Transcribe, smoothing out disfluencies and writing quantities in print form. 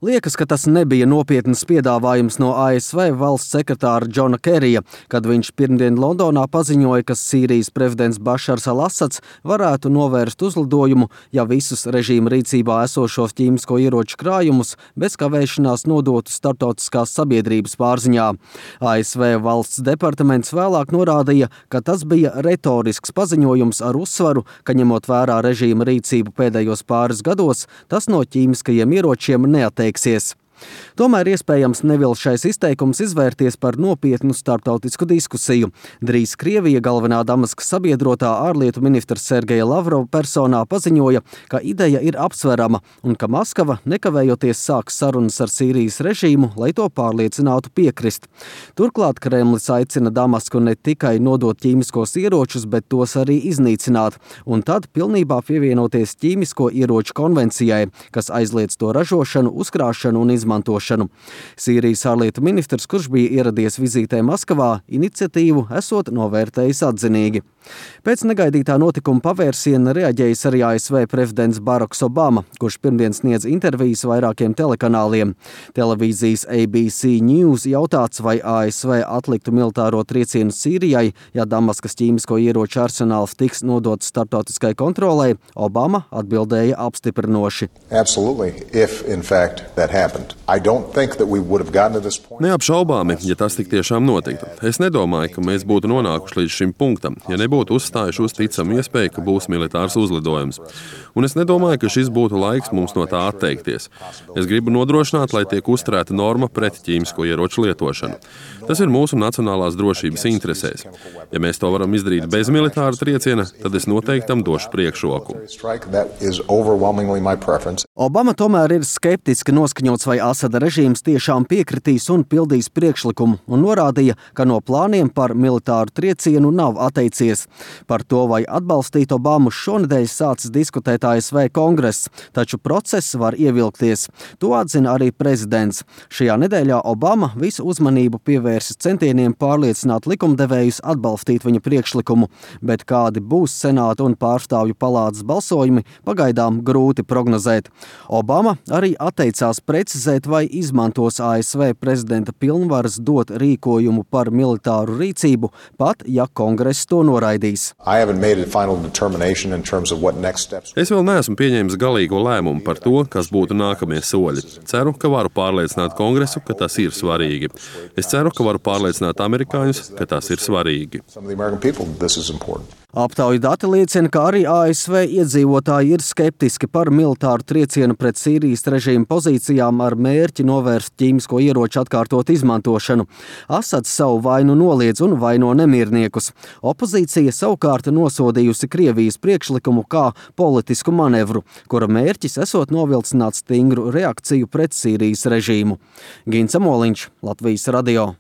Liekas, ka tas nebija nopietns piedāvājums no ASV valsts sekretāra Džona Kerija, kad viņš pirmdien Londonā paziņoja, ka Sīrijas prezidents Bašars al-Asads varētu novērst uzlidojumu, ja visus režīma rīcībā esošos ķīmisko ieroču krājumus bez kavēšanās nodotu starptautiskās sabiedrības pārziņā. ASV valsts departaments vēlāk norādīja, ka tas bija retorisks paziņojums ar uzsvaru, ka ņemot vērā režīma rīcību pēdējos pāris gados, tas no ķīmiskajiem ieročiem neatteiksies. Tomēr iespējams nevilšais izteikums izvērties par nopietnu starptautisku diskusiju. Drīz Krievija galvenā Damaskas sabiedrotā ārlietu ministra Sergeja Lavrova personā paziņoja, ka ideja ir apsverama un ka Maskava nekavējoties sāks sarunas ar Sīrijas režīmu, lai to pārliecinātu piekrist. Turklāt Kremlis aicina Damasku ne tikai nodot ķīmiskos ieročus, bet tos arī iznīcināt, un tad pilnībā pievienoties ķīmisko ieroču konvencijai, kas aizliedz to ražošanu, uzkrāšanu un izmantošanu. Sīrijas ārlietu ministrs, kurš bija ieradies vizītē Maskavā, iniciatīvu esot novērtējis atzinīgi. Pēc negaidītā notikuma pavērsiena reaģējis arī ASV prezidents Baraks Obama, kurš pirmdien sniedz intervijas vairākiem telekanāliem. Televīzijas ABC News jautāts, vai ASV atliktu militāro triecienu Sīrijai, ja Damaskas ķīmisko ieroču arsenāls tiks nodots starptautiskai kontrolei, Obama atbildēja apstiprinoši. Absolutely, if in fact that happened. I don't think that we would have gotten to this point. Neapšaubāmi, ja tas tik tiešām notiktu. Es nedomāju, ka mēs būtu nonākuši līdz šim punktam, ja nebūtu uzstājuši uz ticamu iespēju, ka būs militārs uzlidojums. Un es nedomāju, ka šis būtu laiks mums no tā atteikties. Es gribu nodrošināt, lai tiek uzturēta norma pret ķīmisko ieroču lietošanu. Tas ir mūsu nacionālās drošības interesēs. Ja mēs to varam izdarīt bez militāra trieciena, tad es noteikti tam došu priekšroku. Obama tomēr ir skeptiski noskaņots, vai Asada režīms tiešām piekritīs un pildīs priekšlikumu, un norādīja, ka no plāniem par militāru triecienu nav atteicies. Par to, vai atbalstīt Obamu, šonedēļ sācis diskutēt ASV kongress, taču process var ievilkties. To atzina arī prezidents. Šajā nedēļā Obama visu uzmanību pievērsis centieniem pārliecināt likumdevējus atbalstīt viņa priekšlikumu, bet kādi būs Senāta un Pārstāvju palātas balsojumi, pagaidām grūti prognozēt. Obama arī atteicās precizēt, vai izmantos ASV prezidenta pilnvaras dot rīkojumu par militāru rīcību, pat ja kongress to noraidīs. Es vēl neesmu pieņēmis galīgo lēmumu par to, kas būtu nākamie soļi. Ceru, ka varu pārliecināt kongresu, ka tas ir svarīgi. Es ceru, ka varu pārliecināt amerikāņus, ka tas ir svarīgi. Aptauju dati liecina, ka arī ASV iedzīvotāji ir skeptiski par militāru triecienu pret Sīrijas režīma pozīcijām ar mērķi novērst ķīmisko ieroču atkārtot izmantošanu. Asads savu vainu noliedz un vaino nemierniekus. Opozīcija savukārt nosodījusi Krievijas priekšlikumu kā politisku manevru, kura mērķis esot novilcināt stingru reakciju pret Sīrijas režīmu. Gins Amoliņš, Latvijas radio.